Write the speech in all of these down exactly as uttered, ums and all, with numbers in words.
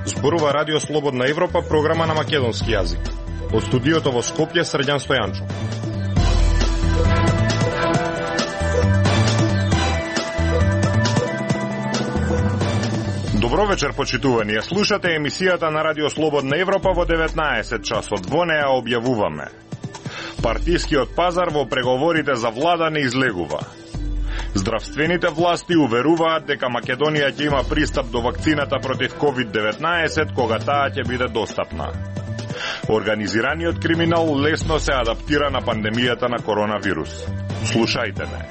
Зборува Радио Слободна Европа, програма на македонски јазик. Од студиото во Скопје, Срđan Стојанчов. Добро вечер, почитувани. Ја слушате емисијата на Радио Слободна Европа во деветнаесет часот. Во неа објавуваме: партискиот пазар во преговорите за влада не излегува. Здравствените власти уверуваат дека Македонија ќе има пристап до вакцината против ковид деветнаесет кога таа ќе биде достапна. Организираниот криминал лесно се адаптира на пандемијата на коронавирус. Слушајте ме.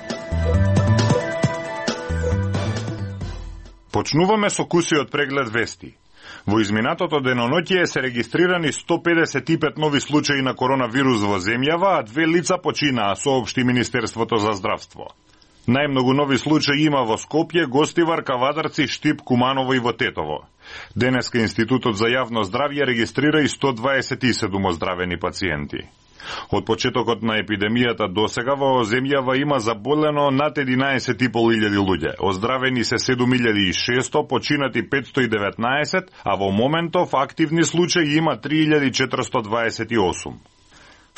Почнуваме со кусиот преглед вести. Во изминатото деноноќие се регистрирани сто педесет и пет нови случаи на коронавирус во земјава, а две лица починаа, соопшти Министерството за здравство. Најмногу нови случаи има во Скопје, Гостивар, Кавадарци, Штип, Куманово и во Тетово. Денеска Институтот за јавно здравје регистрира и сто дваесет и седум оздравени пациенти. Од почетокот на епидемијата досега во земјава има заболено над единаесет и пол илјади луѓе, оздравени се седум илјади и шесто, починати петсто и деветнаесет, а во моментов активни случаи има три илјади четиристо дваесет и осум.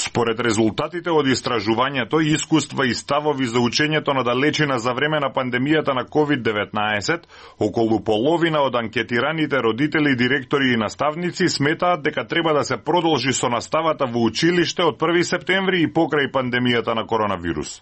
Според резултатите од истражувањето, искуства и ставови за учењето на далечина за време на пандемијата на ковид деветнаесет, околу половина од анкетираните родители, директори и наставници сметаат дека треба да се продолжи со наставата во училиште од први септември и покрај пандемијата на коронавирус.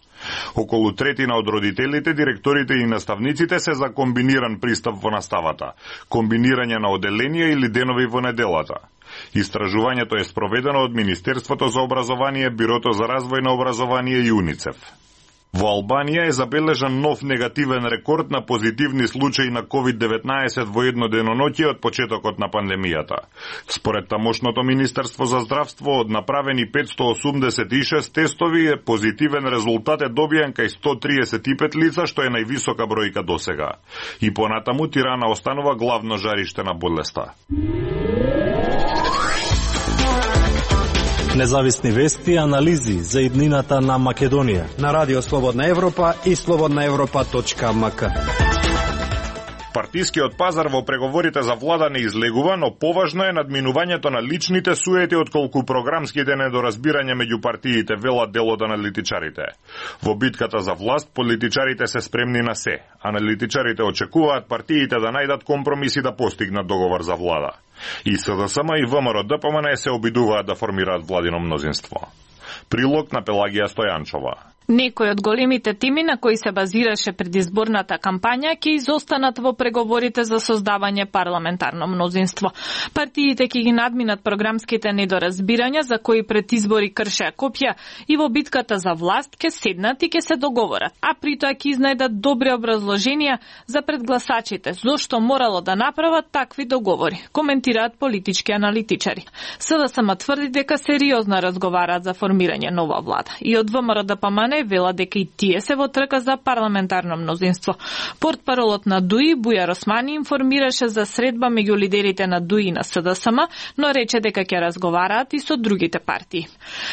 Околу третина од родителите, директорите и наставниците се за комбиниран пристап во наставата, комбинирање на оделенија или денови во неделата. Истражувањето е спроведено од Министерството за образование, Бирото за развој на образование и УНИЦЕФ. Во Албанија е забележан нов негативен рекорд на позитивни случаи на ковид деветнаесет во едно деноноќе од почетокот на пандемијата. Според тамошното Министерство за здравство, од направени петсто осумдесет и шест тестови, позитивен резултат е добиен кај сто триесет и пет лица, што е највисока бројка досега. И понатаму Тирана останува главно жариште на болеста. Независни вести и анализи за иднината на Македонија на Радио Слободна Европа и слободна европа точка ем ка. Партискиот пазар во преговорите за влада не излегува, но поважно е надминувањето на личните суети отколку програмските недоразбирања меѓу партиите, велат дел од аналитичарите. Во битката за власт, политичарите се спремни на се. Аналитичарите очекуваат партиите да најдат компромиси да постигнат договор за влада. И СДСМ и ВМРО-ДПМН се обидуваат да формираат владино мнозинство. Прилог на Пелагија Стојанчова. Некои од големите теми на кои се базираше предизборната кампања ќе изостанат во преговорите за создавање парламентарно мнозинство. Партиите ќе ги надминат програмските недоразбирања за кои пред избори кршеа копја и во битката за власт ќе седнат и ќе се договорат, а при тоа ќе изнајдат добри образложенија за предгласачите зошто морало да направат такви договори, коментираат политички аналитичари. СДСМ тврди дека сериозно разговараат за формирање нова влада и од ВМРО-ДПМН вела дека и тие се во трка за парламентарно мнозинство. Портпаролот на ДУИ Бујар Османи информираше за средба меѓу лидерите на ДУИ и на СДСМ, но рече дека ќе разговараат и со другите партии.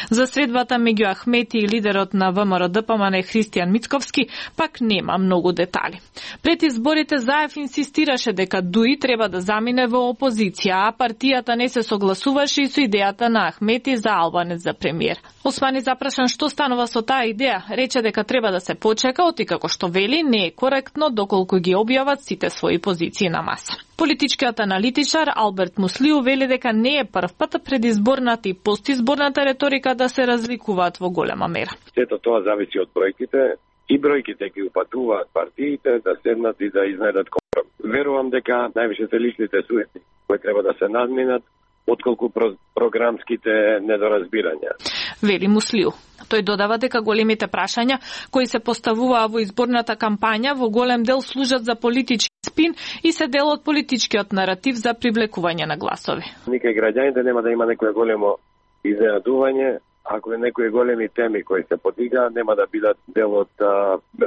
За средбата меѓу Ахмети и лидерот на ВМРО-ДПМН Христијан Мицковски пак нема многу детали. Пред изборите Заев инсистираше дека ДУИ треба да замине во опозиција, а партијата не се согласуваше и со идејата на Ахмети за Албанец за премиер. Османи запрашан што станува со таа идеја, рече дека треба да се почека, оти како што вели не е коректно доколку ги објават сите своји позиции на маса. Политичкиот аналитичар Алберт Муслиу вели дека не е прв пат предизборната и постизборната реторика да се разликуваат во голема мера. Сето тоа зависи од бројките и бројките ги упатуваат партиите да седнат и да изнајдат компромис. Верувам дека највише се личните суети кои треба да се надминат отколку програмските недоразбирања. Вели Муслиу. Тој додава дека големите прашања кои се поставуваа во изборната кампања во голем дел служат за политички спин и се дел од политичкиот наратив за привлекување на гласови. Никај граѓаните нема да има некое големо изненадување ако е некои големи теми кои се подига, нема да бидат дел од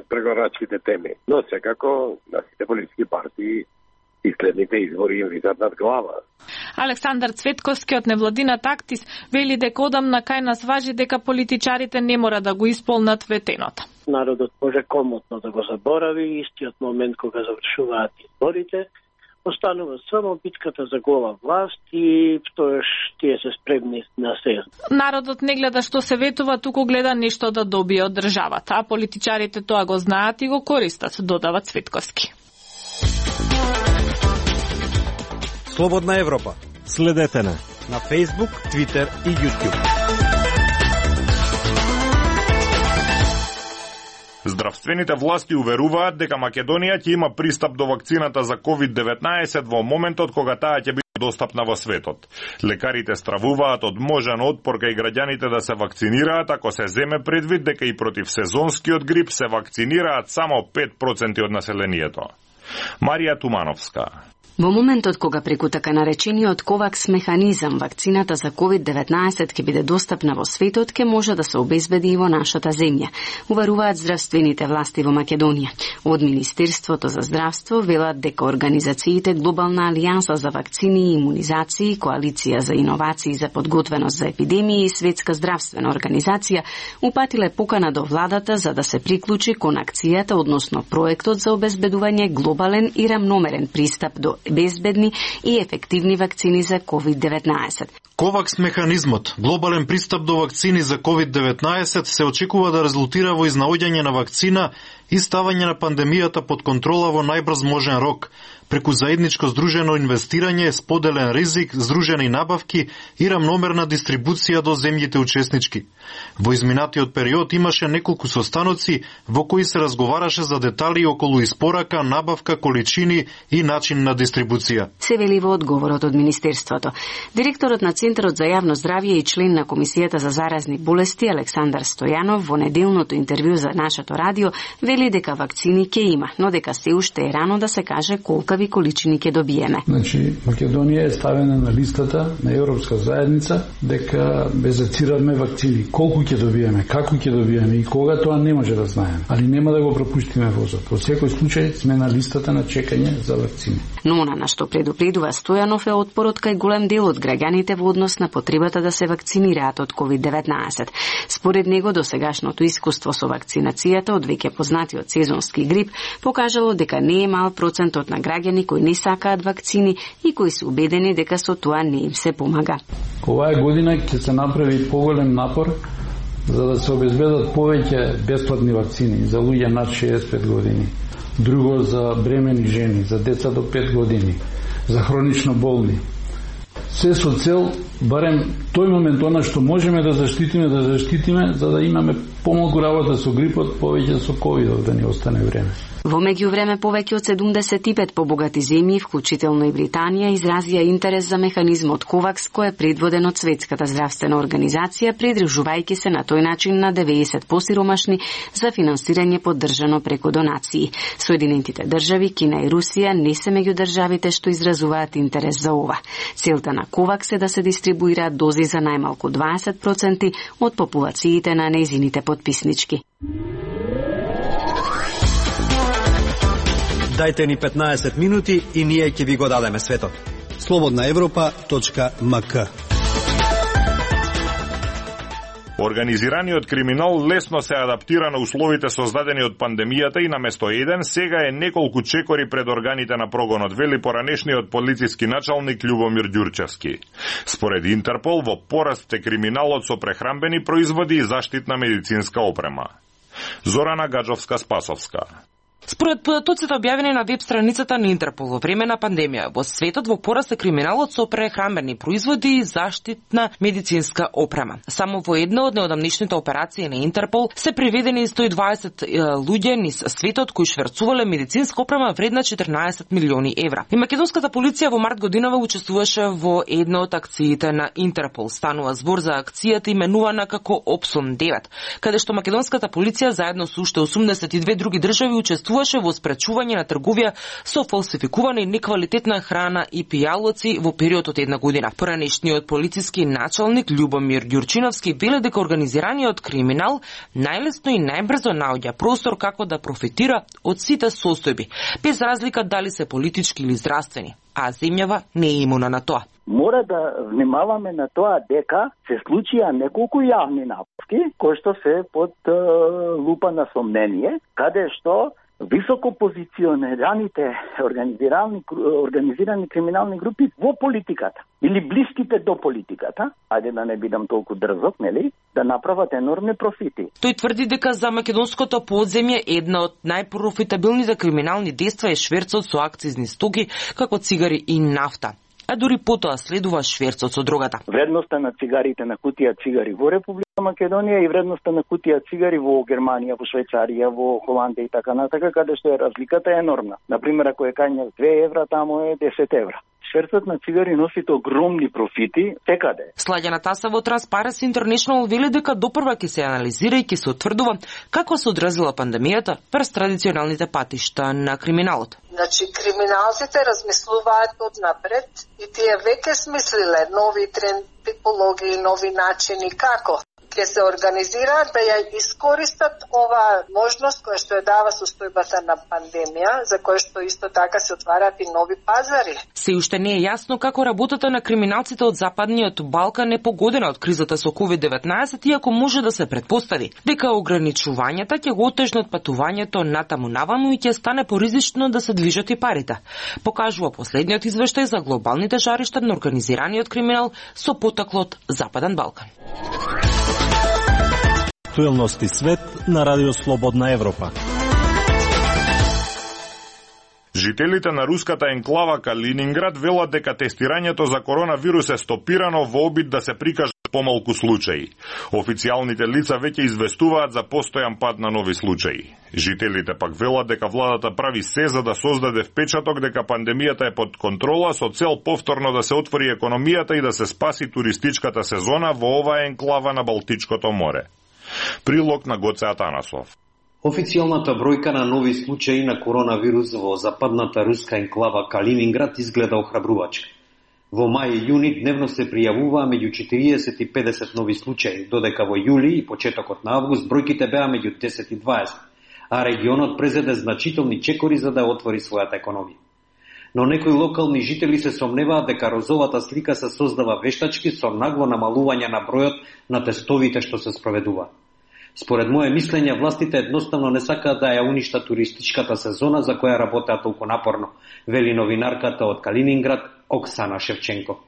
преговорачките теми. Но секако на сите политички партии и следните избори им висат над глава. Александар Цветковски од невладината Актис вели дека одамна кај нас важи дека политичарите не мора да го исполнат ветеното. Народот може комотно да го заборави истиот момент кога завршуваат изборите, останува само битката за гола власт и тоаш тие се спремни на се. Народот не гледа што се ветува, туку гледа нешто да добие од државата, а политичарите тоа го знаат и го користат, додава Цветковски. Слободна Европа. Следете на на Facebook, Twitter и YouTube. Здравствените власти уверуваат дека Македонија ќе има пристап до вакцината за ковид деветнаесет во моментот кога таа ќе биде достапна во светот. Лекарите стравуваат од можен отпор кај граѓаните да се вакцинираат ако се земе предвид дека и против сезонскиот грип се вакцинираат само пет проценти од населението. Марија Тумановска. Во моментот кога преку така наречениот ковакс механизам вакцината за ковид деветнаесет ќе биде достапна во светот, ќе може да се обезбеди и во нашата земја, уверуваат здравствените власти во Македонија. Од Министерството за здравство велат дека организациите Глобална алијанса за вакцини и имунизации, Коалиција за иновации за подготвеност за епидемии и Светска здравствена организација упатиле покана до владата за да се приклучи кон акцијата, односно проектот за обезбедување глобален и рамномерен пристап до безбедни и ефективни вакцини за ковид деветнаесет. Ковакс механизмот, глобален пристап до вакцини за ковид деветнаесет, се очекува да резултира во изнаоѓање на вакцина и ставање на пандемијата под контрола во најбрз можен рок, преку заедничко здружено инвестирање, споделен ризик, здружени набавки и рамномерна дистрибуција до земјите учеснички. Во изминатиот период имаше неколку состаноци во кои се разговараше за детали околу испорака, набавка, количини и начин на дистрибуција. Се вели во одговорот од Министерството. Директорот на Центарот за јавно здравје и член на Комисијата за заразни болести Александар Стојанов во неделното интервју за нашето радио вели дека вакцини ќе има, но дека се уште е рано да се каже колкави количини ќе добиеме. Значи, Македонија е ставена на листата на Европска заедница дека безацираме вакцини. Колку ќе добиеме, како ќе добиеме и кога, тоа не може да знаеме. Али нема да го пропуштиме возот. Во секој случај сме на листата на чекање за вакцини. Но она на што предупредува Стојанов е отпорот кај голем дел од граѓаните во однос на потребата да се вакцинираат од ковид деветнаесет. Според него, досегашното искуство со вакцинацијата од веќе познатиот сезонски грип покажало дека не е мал процентот на граѓани кои не сакаат вакцини и кои се убедени дека со тоа не им се помага. Оваа година ќе се направи поголем напор за да се обезбедат повеќе бесплатни вакцини за луѓе над шеесет и пет години. Друго за бремени жени, за деца до пет години, за хронично болни. Се со цел, барем тој момент, она што можеме да заштитиме, да заштитиме, за да имаме помалку работа со грипот, повеќе со ковидот, да ни остане време. Во меѓувреме повеќе од седумдесет и пет побогати земји, вклучително и Британија, изразија интерес за механизмот ковакс, кој е предводен од Светската здравствена организација, придружувајќи се на тој начин на деветдесет посиромашни за финансирање поддржано преку донации. Соединетите држави, Кина и Русија не се меѓу државите што изразуваат интерес за ова. Целта на ковакс е да се дистрибуираат дози за најмалку дваесет проценти од популациите на нејзините подписнички. Дајте ни петнаесет минути и ние ќе ви го дадеме светот. слободна европа точка ем ка. Организираниот криминал лесно се адаптира на условите создадени од пандемијата и наместо еден, сега е неколку чекори пред органите на прогонот, вели поранешниот полициски началник Љубомир Ѓурчевски. Според Интерпол, во пораст е криминалот со прехрамбени производи и заштитна медицинска опрема. Зорана Гаджовска-Спасовска. Според податоците објавени на веб страницата на Интерпол во време на пандемија, во светот во пораст е криминалот со прехрамбени производи и заштитна медицинска опрема. Само во една од неодамнишните операции на Интерпол се приведени сто и дваесет луѓе низ светот кои шверцувале медицинска опрема вредна четрнаесет милиони евра. И македонската полиција во март годинава учествуваше во една од акциите на Интерпол. Станува збор за акцијата именувана како Опсум девет, каде што македонската полиција заедно со уште осумдесет и две други држави учествува учествуваше во спречување на трговија со фалсификувана и неквалитетна храна и пијалоци во период од една година. Поранешниот полициски началник Љубомир Ѓурчиновски веле дека организираниот криминал најлесно и најбрзо наоѓа простор како да профитира од сите состојби, без разлика дали се политички или здравствени, а земјава не е имуна на тоа. Мора да внимаваме на тоа дека се случија неколку јавни набавки кои што се под е, лупа на сомнение, каде што високо позиционираните организирани, организирани криминални групи во политиката или блиските до политиката, ајде да не бидам толку дрзок, нели, да направат енормни профити. Тој тврди дека за македонското подземје една од најпрофитабилните криминални дејства е шверцот со акцизни стоки како цигари и нафта. А дури потоа следува шверцот со дрогата. Вредноста на цигарите на кутија цигари во Република Македонија и вредноста на кутија цигари во Германија, во Швајцарија, во Холандија и така натака, каде што е разликата е енормна. Например, ако е кања две евра, тамо е десет евра. Шверцот на цигари носи огромни профити секаде. Слаѓана Таса во Transparency International вели дека допрва ќе се анализира и ќе се утврдува како се одразила пандемијата врз традиционалните патишта на криминалот. Значи, криминалците размислуваат однапред и тие веќе смислиле нови тренд, типологии, нови начини како ќе се организираат да ја искористат ова можност која што ја дава состојбата на пандемија, за која што исто така се отвараат и нови пазари. Се уште не е јасно како работата на криминалците од Западниот Балкан е погодена од кризата со ковид деветнаесет, иако може да се предпостави дека ограничувањата ќе го отежнат патувањето натаму наваму и ќе стане поризично да се движат и парите, покажува последниот извештај за глобалните жаришта на организираниот криминал со потеклот Западен Балкан. Актуелности свет на Радио Слободна Европа. Жителите на руската енклава Калининград велат дека тестирањето за коронавирус е стопирано во обид да се прикажат помалку случаи. Официјалните лица веќе известуваат за постојан пат на нови случаи. Жителите пак велат дека владата прави се за да создаде впечаток дека пандемијата е под контрола со цел повторно да се отвори економијата и да се спаси туристичката сезона во оваа енклава на Балтичкото море. Прилог на Гоце Атанасов. Официјалната бројка на нови случаи на коронавирус во западната руска енклава Калининград изгледа охрабрувачка. Во мај и јуни дневно се пријавуваа меѓу четириесет и педесет нови случаи, додека во јули и почетокот на август бројките беа меѓу десет и дваесет, а регионот презеде значителни чекори за да отвори својата економија. Но некои локални жители се сомневаат дека розовата слика се создава вештачки со нагло намалување на бројот на тестовите што се спроведуваат. Според моје мислење, властите едноставно не сакаат да ја уништат туристичката сезона за која работеа толку напорно, вели новинарката од Калининград Оксана Шевченко.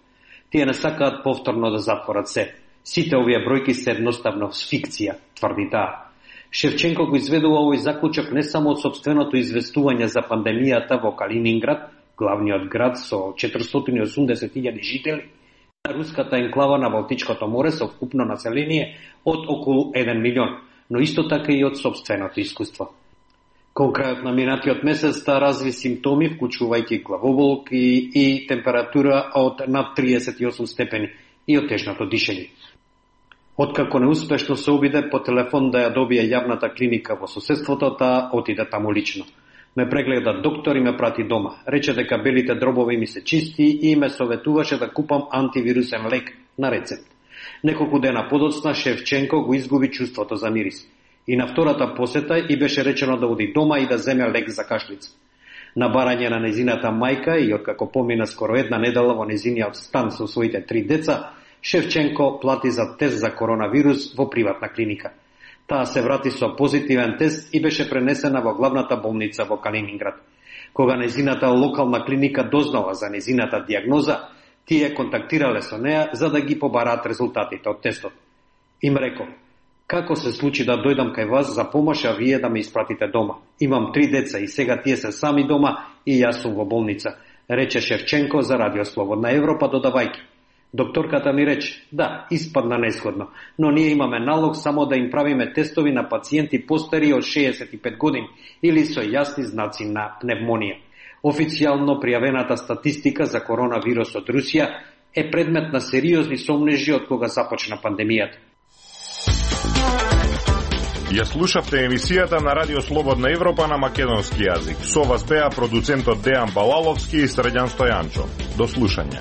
Тие не сакаат повторно да затворат се. Сите овие бројки се едноставно фикција, тврди таа. Шевченко го изведува овој заклучок не само од собственото известување за пандемијата во Калининград, главниот град со четиристотини и осумдесет илјади жители, на руската енклава на Балтичкото море со вкупно население од околу еден милион, но исто така и од собственото искуство. Кон крајот на минатиот месец та разви симптоми, вклучувајќи главоболки и температура од над триесет и осум степени и отежнато дишење. Откако неуспешно се обиде по телефон да ја добие јавната клиника во соседството, таа отиде таму лично. Ме прегледа доктор и ме прати дома. Рече дека белите дробови ми се чисти и ме советуваше да купам антивирусен лек на рецепт. Неколку дена подоцна Шевченко го изгуби чувството за мирис. И на втората посета и беше речено да оди дома и да земе лек за кашлица. На барање на незината мајка и откако помина скоро една недела во незиниот стан со своите три деца, Шевченко плати за тест за коронавирус во приватна клиника. Таа се врати со позитивен тест и беше пренесена во главната болница во Калининград. Кога незината локална клиника дознала за незината диагноза, тие контактирале со неа за да ги побараат резултатите од тестот. Им рекол: како се случи да дојдам кај вас за помош, а вие да ме испратите дома? Имам три деца и сега тие се сами дома и јас сум во болница, рече Шевченко за Радио Слободна Европа, додавајќи: докторката ми рече: да, испадна несходно, но ние имаме налог само да им правиме тестови на пациенти постари од шеесет и пет години или со јасни знаци на пневмонија. Официјално пријавената статистика за коронавирус од Русија е предмет на сериозни сомнежи од кога започна пандемијата. Ја слушавте емисијата на Радио Слободна Европа на македонски јазик. Со вас беа продуцентот Дејан Балаловски и Срđan Стојанчо. До слушање.